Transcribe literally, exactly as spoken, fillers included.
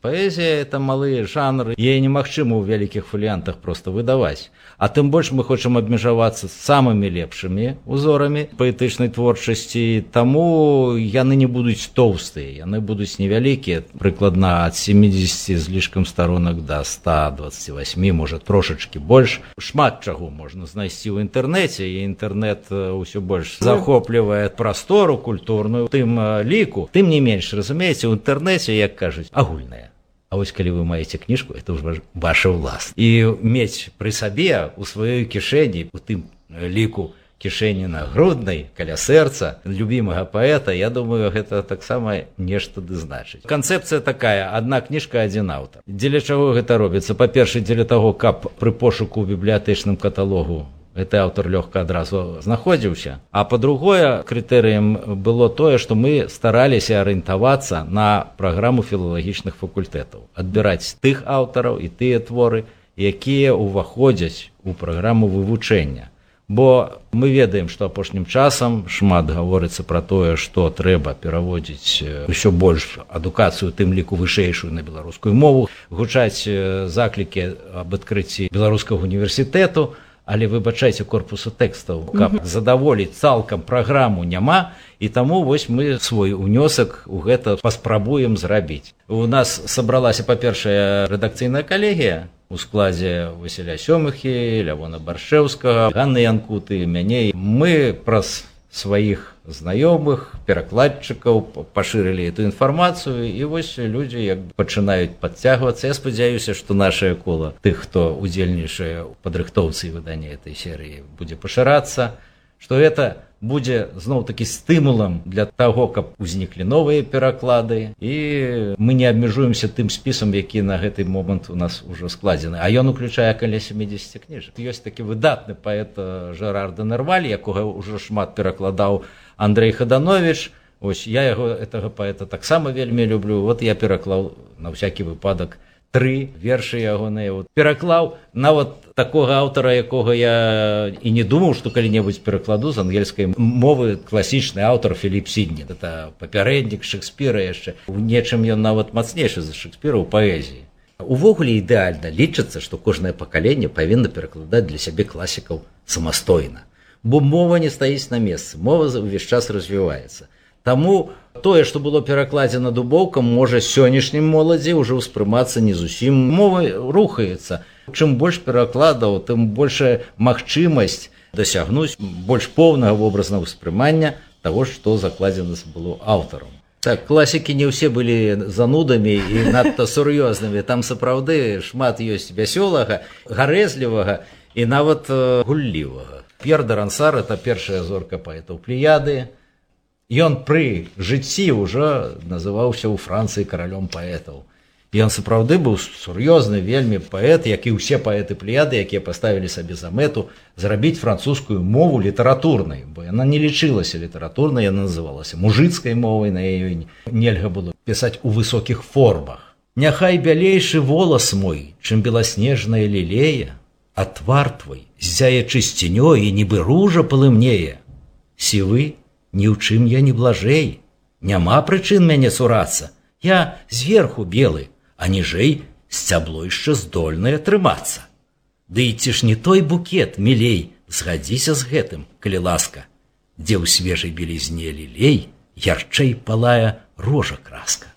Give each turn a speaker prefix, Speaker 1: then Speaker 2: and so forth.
Speaker 1: Паэзія – это малыя жанры, яе немагчыма ў вялікіх фаліянтах проста выдаваць. А тым больш мы хочам абмежавацца самымі лепшымі узорамі паэтычнай творчасці, таму яны не будуць тоўстыя, яны будуць невялікія, прыкладна ад семидесяти з лішкам старонак да ста двадцати восьми, можа трошачкі больш. Шмат чаго можна знайсці ў інтэрнэце, і інтэрнэт ўсё больш захоплівае прастору культурную, тым ліку, тым не менш, разумееце, у інтэрнэце, як кажуць, агульнае. А вось калі вы маеце кніжку, это ўжо ваша ўласна. І мець пры сабе у сваёй кішэні, у тым ліку кішэні нагруднай, каля сэрца любімага паэта, я думаю, гэта таксама нешта ды значыць. Канцэпцыя такая: адна кніжка, адзін аўтар. Дзеля чаго гэта робіцца? Па-першае, дзеля таго, каб пры пошуку ў бібліятэчным каталогу гэты аўтар лёгка адразу знаходзіўся. А па-другое, крытэрыем было тое, што мы стараліся арыентавацца на праграму філалагічных факультэтаў, адбіраць тых аўтараў і тыя творы, якія ўваходзяць у праграму вывучэння. Бо мы ведаем, што апошнім часам шмат гаворыцца пра тое, што трэба пераводзіць ўсё больш адукацыю, тым ліку вышэйшую, на беларускую мову, гучаць заклікі аб адкрыцці беларускага універсітэту, але, выбачайце, корпусу тэкстаў, каб задаволіць цалкам праграму, няма, і таму вось мы свой унёсак у гэта паспрабуем зрабіць. У нас сабралася, па-першае, рэдакцыйная калегія у складзе Васіля Сёмыхі, Лявона Баршэўскага, Ганны Янкуты, мяне. Мы праз сваіх знаёмых, перакладчыкаў пашырылі эту інфармацыю, і вось людзі як пачынаюць падцягвацца. Я спадзяюся, што нашае кола тых, хто удзельнічае ў падрыхтоўцы і выданні этой серыі, будзе пашырацца, што гэта будзе зноў-такі стымулам для таго, каб узніклі новыя пераклады, і мы не абмежуемся тым спісам, які на гэты момант у нас ужо складзены. А ён уключае каля семидесяти кніжак. Ёсць такі выдатны паэт Жерар де Нерваль, якога ўжо шмат перакладаў Андрэй Хаданович. Вось я яго, гэтага паэта, таксама вельмі люблю. Вот я пераклаў на всякі выпадак тры вершы ягоныя. Пераклаў нават такога аўтара, якога я і не думаў, што калі-небудзь перакладу з ангельскай мовы, класічны аўтар Філіп Сідні. Это папярэднік Шекспіра яшчэ. У нечым ён нават мацнейшы за Шекспіра ў паэзіі. Увогуле ідэальна лічыцца, што кожнае пакаленне павінна перакладаць для сябе класікаў самастойна. Бо мова не стаіць на месцы, мова ўвесь час развіваецца. Таму тое, што было перакладзена дубоўкам, можа сённяшнім моладзі ўжо ўспрымацца не зусім. Мова рухаецца. Чым больш перакладаў, тым большая магчымасць дасягнуць больш поўнага вобразнага ўспрымання таго, што закладзена было аўтарам. Так, класікі не ўсе былі занудамі і надта сур'ёзнымі. Там сапраўды шмат ёсць вясёлага, гарэзлівага і нават гуллівага. П'ер де Рансар – это першая зорка паэтаў Плеяды. Ён пры жыцці ўжо называўся ў Францыі каралём паэтаў. Ён сапраўды быў сур'ёзны вельмі паэт, як і ўсе паэты Плеяды, якія паставілі сабе за мэту зрабіць французскую мову літаратурнай, бо яна не лічылася літаратурнай, яна называлася мужыцкай мовай, на яе нельга было пісаць у высокіх формах. Няхай бялейшы волас мой, чым беласнежная лілея, а твар твой ззяе чысцінёй і нібы ружа палымнее. Сівы, ні ў чым я не блажэй, няма прычын мяне сурацца. Я зверху белы, а ніжэй сцябло яшчэ здольнае трымацца. Ды і ці ж не той букет, мілей, згадзіся з гэтым, калі ласка, дзе ў свежай белізне лілей ярчэй палае рожа краска.